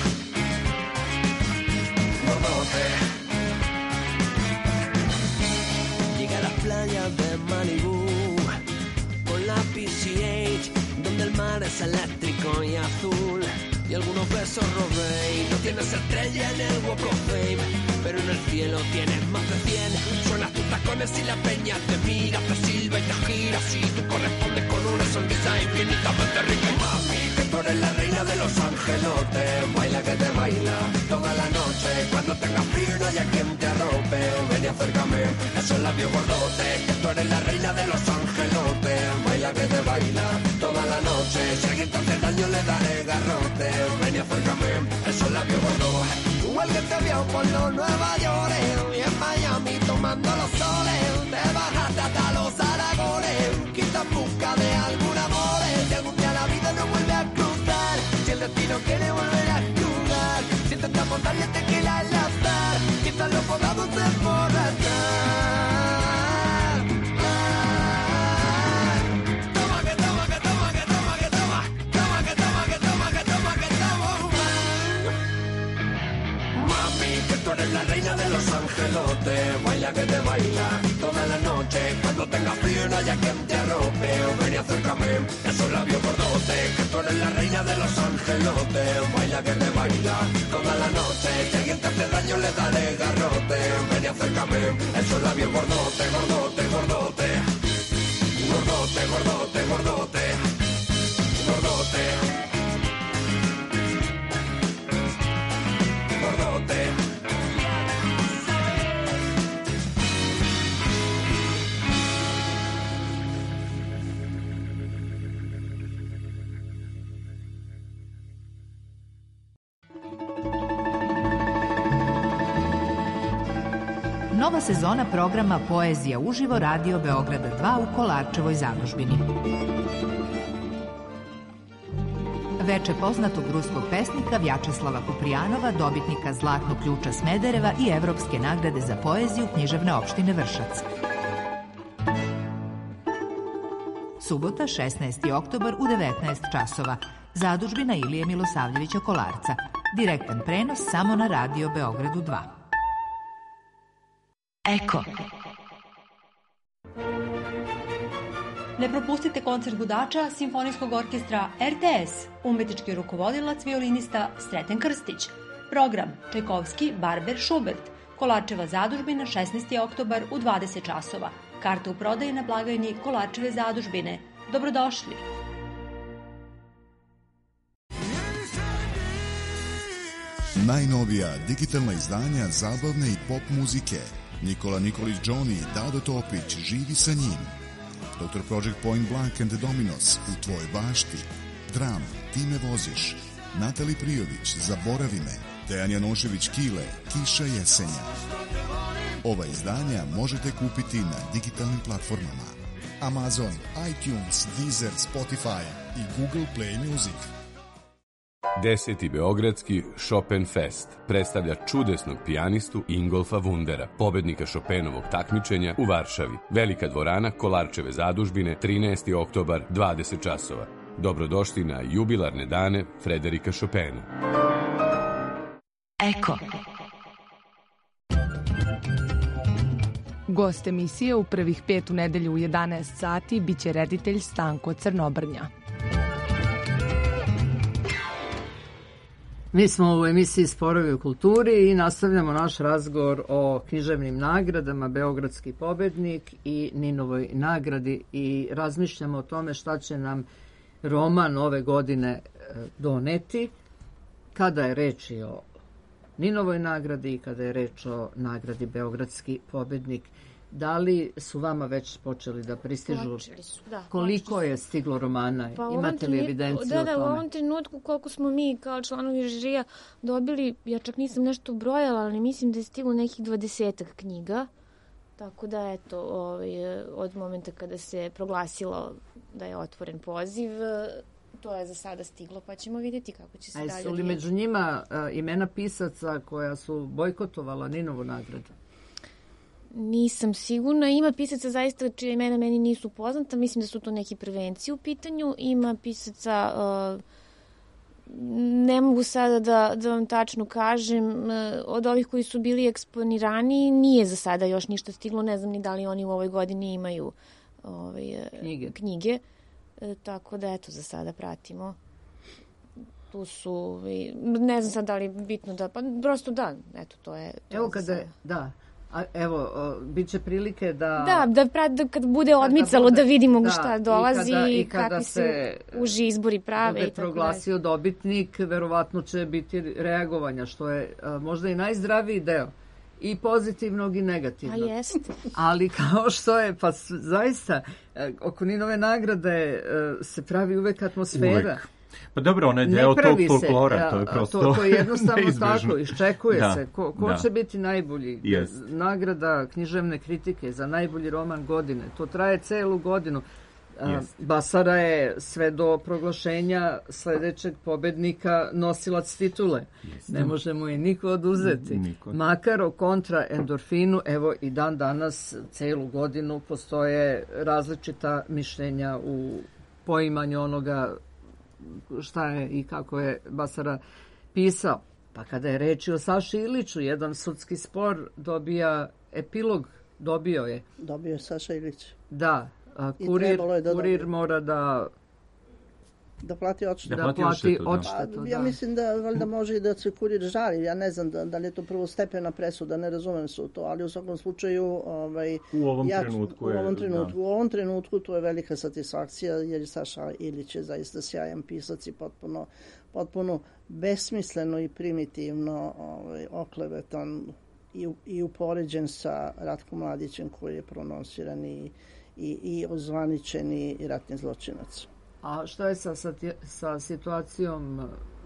Gordotes. Llegué a las playas de Malibu con la P C H, donde el mar es eléctrico y azul, y algunos besos robé. Y no tienes estrella en el Walk of Fame, pero en el cielo tienes más de cien. Suenas tus tacones y la peña te mira, te silba y te gira. Si tú correspondes con una sonrisa infinitamente rica, y mami, que tú eres la reina de los angelotes. Baila que te baila toda la noche. Cuando tengas frío y no haya quien te arrope, ven y acércame esos labios gordotes. Que tú eres la reina de los angelotes. Baila que te baila toda la noche. Si alguien te hace daño le daré garrote. Ven y acércame esos labios gordos. Igual que te vio por los Nueva York y en Miami tomando los soles. Te bajaste hasta los Aragones, quizás en busca de algún amor. Si algún día la vida no vuelve a cruzar, si el destino quiere volver a jugar, si intentamos darle tequila al azar, quizás lo podamos emborrachar. Toma que toma que toma que toma que de los angelotes. Baila que te baila toda la noche. Cuando tengas frío y no haya quien te arrope, o ven y acércame esos labios gordotes, que tú eres la reina de los angelotes. Baila que te baila toda la noche. Si alguien te hace daño le daré garrote. Ven y acércame esos labios gordotes, gordote, gordote. Gordote, gordote, gordote. Gordote. Gordote. Nova sezona programa Poezija uživo Radio Beograda dva u Kolarčevoj zadužbini. Veče poznatog ruskog pesnika Vjačeslava Kuprijanova, dobitnika Zlatnog ključa Smedereva i Evropske nagrade za poeziju književne opštine Vršac. Subota, šesnaesti oktobar u devetnaest časova. Zadužbina Ilije Milosavljevića Kolarca. Direktan prenos samo na Radio Beogradu dva. Eko. Ne propustite koncert gudača Simfonijskog orkestra R T S, umetnički rukovodilac violinista Sreten Krstić. Program Čajkovski, Barber, Schubert, Kolarčeva zadužbina, šesnaesti oktobar u dvadeset časova. Karte u prodaji na blagajni Kolarčeve zadužbine. Dobrodošli! Najnovija digitalna izdanja zabavne i pop muzike. Nikola Nikolić Johnny i Dado Topić, Živi sa njim. doktor Project Point Blank and the Dominos, U tvojoj bašti. Dram, Ti me voziš. Natali Prijović, Zaboravi me. Dejan Janošević Kile, Kiša jesenja. Ova izdanja možete kupiti na digitalnim platformama Amazon, iTunes, Deezer, Spotify i Google Play Music. Deseti Beogradski Chopin Fest predstavlja čudesnog pijanistu Ingolfa Wundera, pobednika Chopinovog takmičenja u Varšavi. Velika dvorana Kolarčeve zadužbine, trinaesti oktobar, dvadeset časova. Dobrodošli na jubilarne dane Frederika Chopina. Eko. Gost emisije u prvih pet u nedelju u jedanaest sati biće reditelj Stanko Crnobrnja. Mi smo u emisiji Sporovi u kulturi i nastavljamo naš razgovor o književnim nagradama, Beogradski pobednik i Ninovoj nagradi i razmišljamo o tome šta će nam roman ove godine doneti kada je reč i o Ninovoj nagradi i kada je reč o nagradi Beogradski pobednik. Da li su vama već počeli da pristižu? Počeli su, da. Koliko je stiglo romana? Pa Imate li evidenciju da, o da, tome? Da, u ovom trenutku koliko smo mi kao članovi žirija dobili, ja čak nisam nešto brojala, ali mislim da je stiglo nekih dvadesetak knjiga. Tako da, eto, ovaj, od momenta kada se proglasilo da je otvoren poziv, to je za sada stiglo, pa ćemo vidjeti kako će se dalje odvijeti. A su li među njima uh, imena pisaca koja su bojkotovala Ninovu nagradu? Nisam sigurna. Ima pisaca zaista čije imena meni nisu poznata. Mislim da su to neki prvenci u pitanju. Ima pisaca, uh, ne mogu sada da, da vam tačno kažem, uh, od ovih koji su bili eksponirani nije za sada još ništa stiglo. Ne znam ni da li oni u ovoj godini imaju ovaj, knjige. knjige. Uh, tako da, eto, za sada pratimo. Tu su, ne znam sad da li je bitno da, pa prosto da, eto, to je... To Evo je kada, da, a evo, bit će prilike da... Da, da, pra, da kad bude odmicalo bude, da vidimo da, šta dolazi i, kada, i kada kakvi se uži izbori prave. Bude i tako proglasio dalje. dobitnik, verovatno će biti reagovanja, što je a, možda i najzdraviji deo. I pozitivnog i negativnog. A jeste. Ali kao što je, pa zaista, oko Ninove nagrade se pravi uvek atmosfera. Uvek. Pa dobro, ona je deo tog folklora, to je prosto to, to je jednostavno neizbežno. tako, iščekuje da, se. Ko, ko da. će biti najbolji? Yes. Nagrada književne kritike za najbolji roman godine. To traje celu godinu. Yes. Basara je sve do proglašenja sledećeg pobednika nosilac titule. Yes. Ne možemo je niko oduzeti. Niko. Makar o kontra endorfinu, evo i dan danas celu godinu postoje različita mišljenja u poimanju onoga šta je i kako je Basara pisao. Pa kada je reč o Saši Iliću, jedan sudski spor dobija epilog, dobio je. Dobio je Saša Ilić. Da, a I kurir, trebalo je da kurir dobije. mora da Da plati odštetu. Da plati odštetu, da. odštetu, Pa, ja da. mislim da valjda može i da se kurir žali. Ja ne znam da, da li je to prvostepena presuda, ne razumem se u to, ali u svakom slučaju ovaj, U ovom ja, trenutku u je, ovom trenutku, da. u ovom trenutku to je velika satisfakcija jer Saša Ilić je zaista sjajan pisac i potpuno, potpuno besmisleno i primitivno ovaj, oklevetan i, i upoređen sa Ratkom Mladićem koji je prononsiran i, i, i ozvaničeni ratni zločinac. A šta je sa, sa, sa situacijom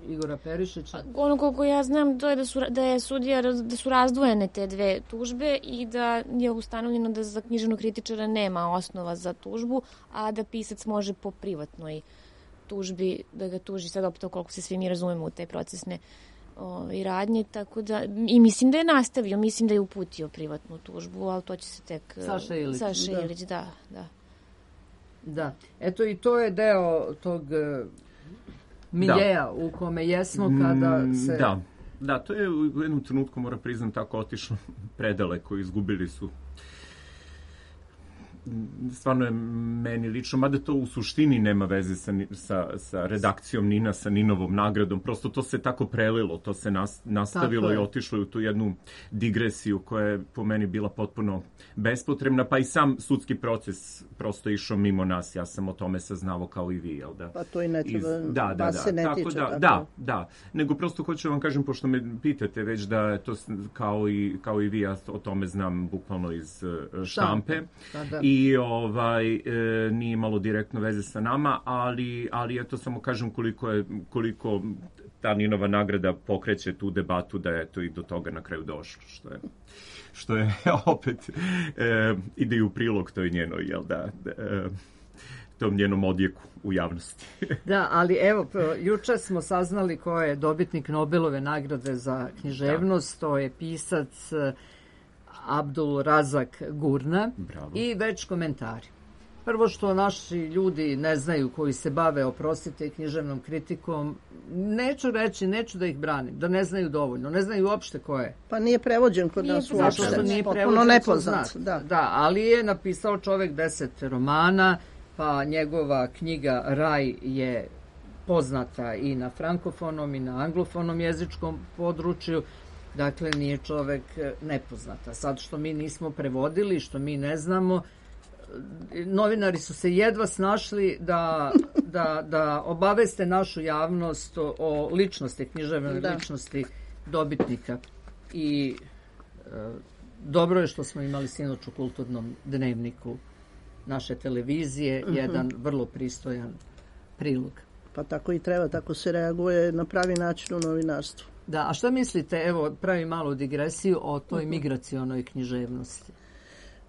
Igora Perišića? Ono koliko ja znam, to je da su, da je sudija, da su razdvojene te dve tužbe i da je ustanovljeno da za književnog kritičara nema osnova za tužbu, a da pisac može po privatnoj tužbi da ga tuži. Sad opet koliko se svi mi razumemo u te procesne o, i radnje, tako da, i mislim da je nastavio, mislim da je uputio privatnu tužbu, ali to će se tek... Saša Ilić. Saša Da. Ilić, da, da. Da, eto i to je deo tog uh, miljeja u kome jesmo kada se... Da, da, to je u jednom trenutku, moram priznam, tako otišlo predaleko, izgubili su. Stvarno je meni lično, mada to u suštini nema veze sa, sa, sa redakcijom Nina, sa Ninovom nagradom, prosto to se tako prelilo, to se nas, nastavilo i otišlo u tu jednu digresiju koja je po meni bila potpuno bespotrebna, pa i sam sudski proces prosto išao mimo nas, ja sam o tome saznao kao i vi, jel da? Pa to i ne treba, Iz, da, da, vas da, se ne tako tiče. da, tako. da, da, nego prosto hoću vam kažem, pošto me pitate već da je to s- kao i, kao i vi, ja o tome znam bukvalno iz eh, štampe. Da, da. I ovaj e, nije imalo direktno veze sa nama, ali ali eto samo kažem koliko je koliko ta Ninova nagrada pokreće tu debatu da je to i do toga na kraju došlo, što je što je opet e, ide i u prilog toj njenoj, jel da, e, tom njenom odjeku u javnosti. Da, ali evo, p- juče smo saznali ko je dobitnik Nobelove nagrade za književnost, to je pisac eh, Abdul Razak Gurna. Bravo. I već komentari. Prvo što naši ljudi ne znaju koji se bave, oprostite, književnom kritikom, neću reći, neću da ih branim, da ne znaju dovoljno, ne znaju uopšte ko je. Pa nije prevođen kod Nije nas prevođen. uopšte. Zato što nije Potpuno prevođen nepoznat. co Da. da, ali je napisao čovek deset romana, pa njegova knjiga Raj je poznata i na frankofonom i na anglofonom jezičkom području. Dakle, nije čovek e, nepoznata. Sad što mi nismo prevodili, što mi ne znamo, e, novinari su se jedva snašli da, da, da obaveste našu javnost o, o ličnosti, književnoj Da. ličnosti dobitnika. I e, dobro je što smo imali sinoć u kulturnom dnevniku naše televizije, Mhm. jedan vrlo pristojan prilog. Pa tako i treba, tako se reaguje na pravi način u novinarstvu. Da, a šta mislite, evo, pravi malu digresiju o toj migracionoj književnosti?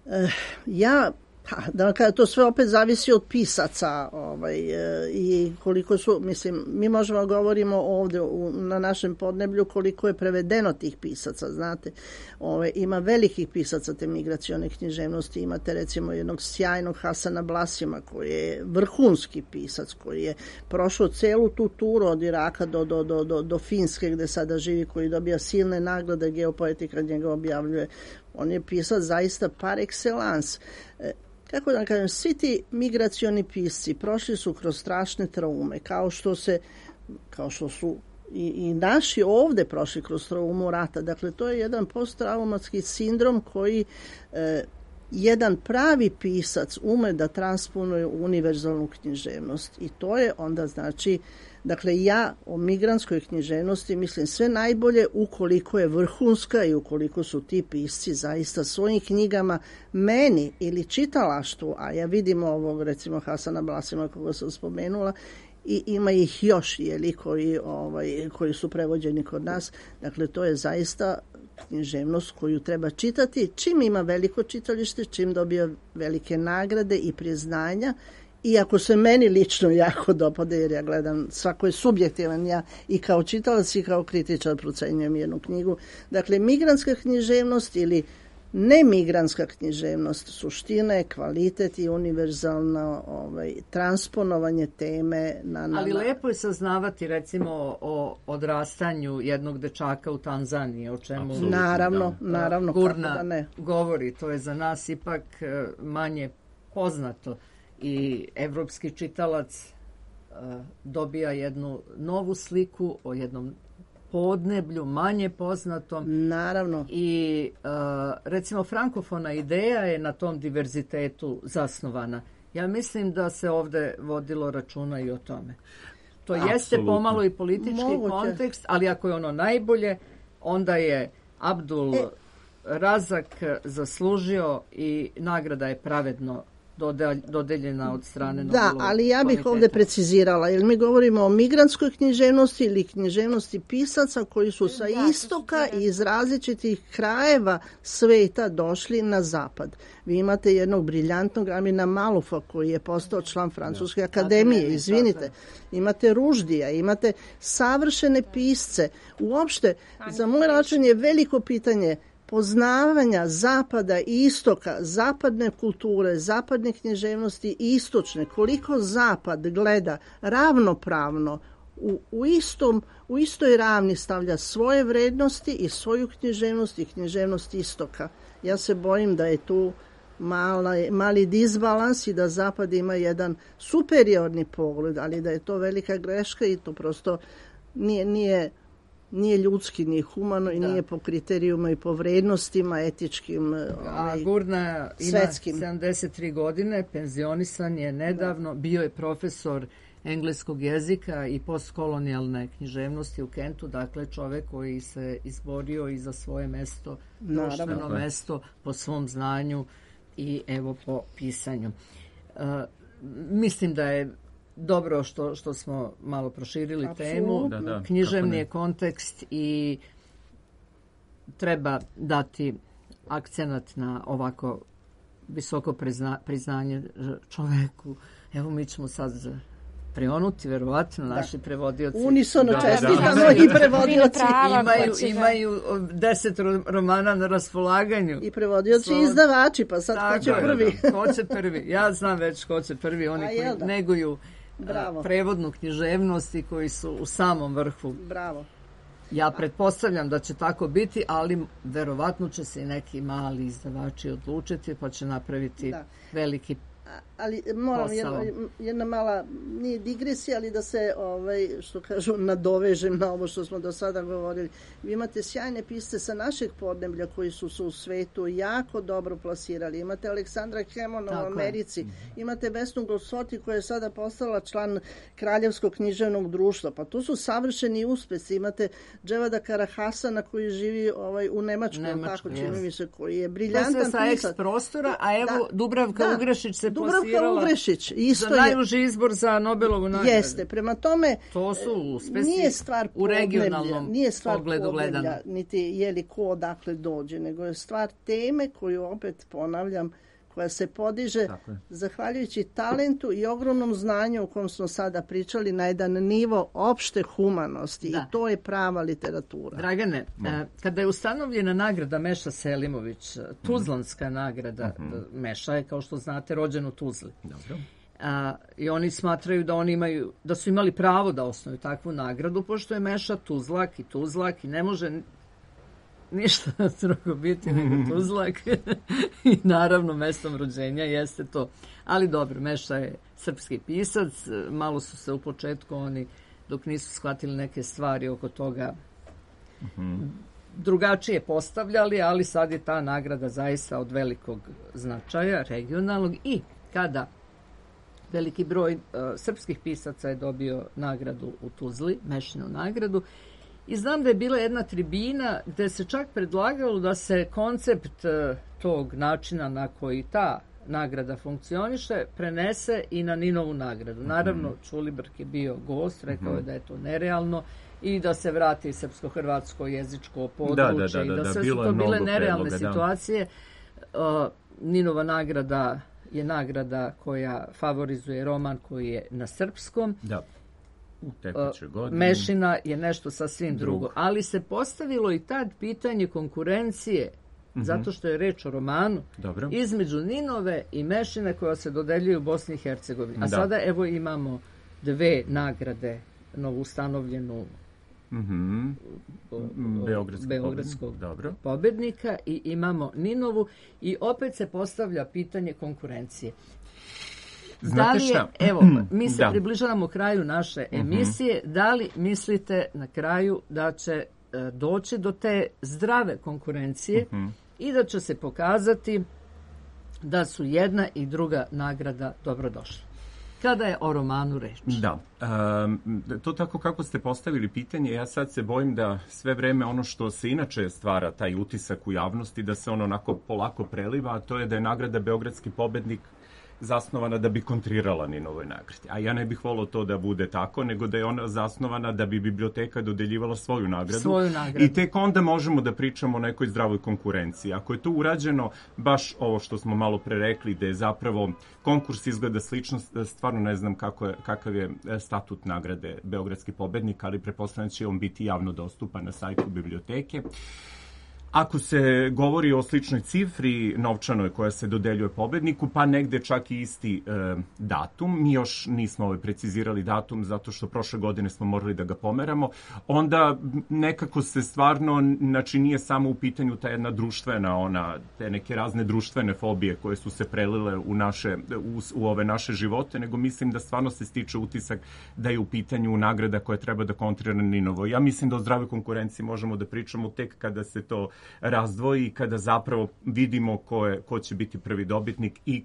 Eh, ja, pa, da vam kažem, to sve opet zavisi od pisaca ovaj, eh, i koliko su, mislim, mi možemo govorimo ovdje u, na našem podneblju koliko je prevedeno tih pisaca, znate. Ove, ima velikih pisaca te migracione književnosti, imate recimo jednog sjajnog Hasana Blasima koji je vrhunski pisac, koji je prošao celu tu turu od Iraka do, do, do, do, do Finske gde sada živi, koji dobija silne nagrade, Geopoetika njega objavljuje. On je pisac zaista par excellence. E, kako da vam kažem, svi ti migracioni pisci prošli su kroz strašne traume, kao što se, kao što su i, i naši ovde prošli kroz traumu rata. Dakle, to je jedan posttraumatski sindrom koji e, jedan pravi pisac ume da transponuje u univerzalnu književnost. I to je onda znači, dakle ja o migrantskoj književnosti mislim sve najbolje ukoliko je vrhunska i ukoliko su ti pisci zaista svojim knjigama meni ili čitalaštvu, a ja vidim ovog recimo Hasana Blasima koga sam spomenula, i ima ih još jeli, koji, ovaj, koji su prevođeni kod nas. Dakle, to je zaista književnost koju treba čitati. Čim ima veliko čitalište, čim dobija velike nagrade i priznanja, iako se meni lično jako dopada, jer ja gledam, svako je subjektivan, ja i kao čitalac i kao kritičar procenjujem jednu knjigu. Dakle, migrantska književnost ili Nemigranska književnost, suština je kvalitet i univerzalno ovaj, transponovanje teme na... na Ali lepo je saznavati recimo o odrastanju jednog dečaka u Tanzaniji, o čemu Absolutno, naravno, da. naravno, Gurna kako da ne. govori. To je za nas ipak manje poznato i evropski čitalac dobija jednu novu sliku o jednom podneblju, manje poznatom. Naravno. I uh, recimo frankofona ideja je na tom diverzitetu zasnovana. Ja mislim da se ovde vodilo računa i o tome. To Absolutno. Jeste pomalo i politički Moguće. kontekst, ali ako je ono najbolje, onda je Abdul e. Razak zaslužio i nagrada je pravedno dodeljena od strane Nobelovog Da, ali ja bih komiteta. ovdje precizirala, jer mi govorimo o migrantskoj književnosti ili književnosti pisaca koji su sa da, istoka i iz različitih krajeva sveta došli na zapad. Vi imate jednog briljantnog Amina Malufa koji je postao član Francuske akademije, izvinite. Imate Ruždija, imate savršene pisce. Uopšte, za moj račun je veliko pitanje poznavanja zapada i istoka, zapadne kulture, zapadne književnosti i istočne, koliko zapad gleda ravnopravno u, u, istom, u istoj ravni stavlja svoje vrednosti i svoju književnost i književnost istoka. Ja se bojim da je tu mala, mali disbalans i da zapad ima jedan superiorni pogled, ali da je to velika greška i to prosto nije, nije nije ljudski, nije humano i da. Nije po kriterijuma i po vrednostima etičkim, A Gurna svetskim. Ima sedamdeset tri godine, penzionisan je nedavno, da. Bio je profesor engleskog jezika i postkolonijalne književnosti u Kentu, dakle čovek koji se izborio i za svoje mesto, društveno mesto po svom znanju i evo po pisanju. Uh, mislim da je dobro što, što smo malo proširili Absolutno. temu. Da, da, književni je kontekst i treba dati akcenat na ovako visoko prizna, priznanje čoveku. Evo mi ćemo sad prionuti, verovatno, da. Naši prevodioci. Unisono čestitamo i prevodioci. Imaju, imaju deset romana na raspolaganju. I prevodioci i izdavači, pa sad Tako, ko će prvi? Da, da. Ko će prvi? Ja znam već ko će prvi. Oni koji da? neguju Bravo. prevodnu književnost i koji su u samom vrhu. Bravo. Ja pretpostavljam da će tako biti, ali verovatno će se i neki mali izdavači odlučiti pa će napraviti da. veliki ali moram jedna, jedna mala, nije digresija, ali da se, ovaj, što kažu, nadovežem na ovo što smo do sada govorili. Vi imate sjajne pisce sa našeg podneblja koji su se u svetu jako dobro plasirali. Imate Aleksandra Hemona u Americi, imate Vesnu Golsoti koja je sada postala član Kraljevskog književnog društva. Pa to su savršeni uspesi. Imate Dževada Karahasana koji živi ovaj, u Nemačkoj, Nemačkoj tako čini mi se, koji je briljantan pisac. To sve sa eks prostora, a evo da, Dubravka da, Ugrešić se Dubravka Ugrešić isto za najuži izbor za Nobelovu nagradu. Jeste, prema tome to su uspesi nije stvar u regionalnom nije stvar pogledu gledano. Niti je li ko odakle dođe, nego je stvar teme koju opet ponavljam, koja se podiže zahvaljujući talentu i ogromnom znanju o kom smo sada pričali na jedan nivo opšte humanosti da. I to je prava literatura. Dragane, no. kada je ustanovljena nagrada Meša Selimović, Tuzlanska mm-hmm. nagrada, mm-hmm. Meša je, kao što znate, rođen u Tuzli. Dobro. A, i oni smatraju da oni imaju, da su imali pravo da osnuju takvu nagradu, pošto je Meša Tuzlak i Tuzlak i ne može ništa drugo biti nego Tuzlak i naravno mestom rođenja jeste to. Ali dobro, Meša je srpski pisac, malo su se u početku oni, dok nisu shvatili neke stvari oko toga, mm-hmm. drugačije postavljali, ali sad je ta nagrada zaista od velikog značaja, regionalnog, i kada veliki broj uh, srpskih pisaca je dobio nagradu u Tuzli, Mešinu nagradu. I znam da je bila jedna tribina gde se čak predlagalo da se koncept uh, tog načina na koji ta nagrada funkcioniše prenese i na Ninovu nagradu. Naravno, Čulibrk je bio gost, rekao je da je to nerealno i da se vrati srpsko-hrvatsko jezičko područje i da, da, da, da sve su to bile nerealne predloga, situacije. Uh, Ninova nagrada je nagrada koja favorizuje roman koji je na srpskom. Da. U tekućoj godini. Mešina je nešto sasvim drugo. drugo. Ali se postavilo i tad pitanje konkurencije mm-hmm. zato što je reč o romanu Dobro. između Ninove i Mešine koja se dodeljuje u Bosni i Hercegovini. A da. sada evo imamo dve nagrade novoustanovljenu mm-hmm. Beogradskog, Beogradskog Dobro. pobednika i imamo Ninovu i opet se postavlja pitanje konkurencije. Znate da li je, šta? Evo, mi se da. približavamo kraju naše emisije. Mm-hmm. Da li mislite na kraju da će e, doći do te zdrave konkurencije mm-hmm. i da će se pokazati da su jedna i druga nagrada dobrodošle? Kada je o romanu reč? Da. Um, to tako kako ste postavili pitanje, ja sad se bojim da sve vreme ono što se inače stvara, taj utisak u javnosti, da se ono onako polako preliva, a to je da je nagrada Beogradski pobednik zasnovana da bi kontrirala Ninovoj nagradi. A ja ne bih volio to da bude tako, nego da je ona zasnovana da bi biblioteka dodeljivala svoju nagradu. Svoju nagradu. I tek onda možemo da pričamo o nekoj zdravoj konkurenciji. Ako je to urađeno, baš ovo što smo malo pre rekli, da je zapravo konkurs izgleda slično, stvarno ne znam kako je, kakav je statut nagrade Beogradski pobednik, ali pretpostavljam će on biti javno dostupan na sajtu biblioteke. Ako se govori o sličnoj cifri novčanoj koja se dodeljuje pobedniku, pa negde čak i isti e, datum, mi još nismo ovaj precizirali datum zato što prošle godine smo morali da ga pomeramo, onda nekako se stvarno, znači nije samo u pitanju ta jedna društvena, ona, te neke razne društvene fobije koje su se prelile u, naše, u, u ove naše živote, nego mislim da stvarno se stiče utisak da je u pitanju nagrada koja treba da kontrira Ninovo. Ja mislim da o zdravoj konkurenciji možemo da pričamo tek kada se to razdvoji, kada zapravo vidimo ko, je, ko će biti prvi dobitnik i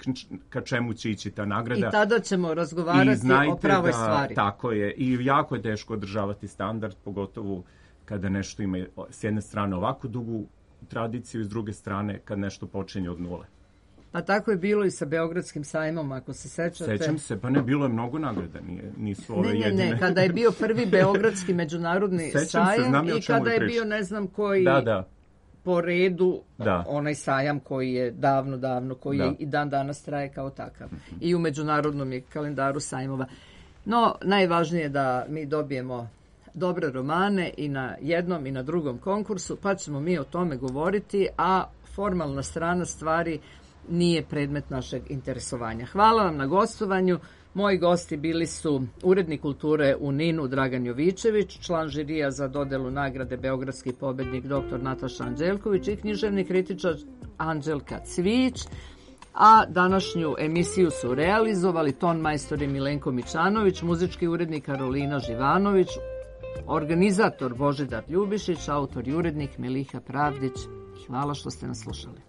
ka čemu će ići ta nagrada. I tada ćemo razgovarati o pravoj da, stvari. Tako je. I jako je teško održavati standard, pogotovo kada nešto ima s jedne strane ovako dugu tradiciju i s druge strane kad nešto počinje od nule. Pa tako je bilo i sa Beogradskim sajmom, ako se sećate. Sećam se, pa ne, bilo je mnogo nagrada, nije, nisu ove ne, ne, jedine. Ne, kada je bio prvi Beogradski međunarodni sajam se, i kada je bio ne znam koji... Da, da. po redu da. onaj sajam koji je davno, davno, koji da. je i dan danas traje kao takav. Mm-hmm. I u međunarodnom je kalendaru sajmova. No, najvažnije je da mi dobijemo dobre romane i na jednom i na drugom konkursu, pa ćemo mi o tome govoriti, a formalna strana stvari nije predmet našeg interesovanja. Hvala vam na gostovanju. Moji gosti bili su urednik kulture u Ninu Dragan Jovičević, član žirija za dodelu nagrade Beogradski pobednik dr Nataša Anđelković i književni kritičar Anđelka Cvić, a današnju emisiju su realizovali ton majstori Milenko Mičanović, muzički urednik Karolina Živanović, organizator Božidar Ljubišić, autor i urednik Miliha Pravdić. Hvala što ste nas slušali.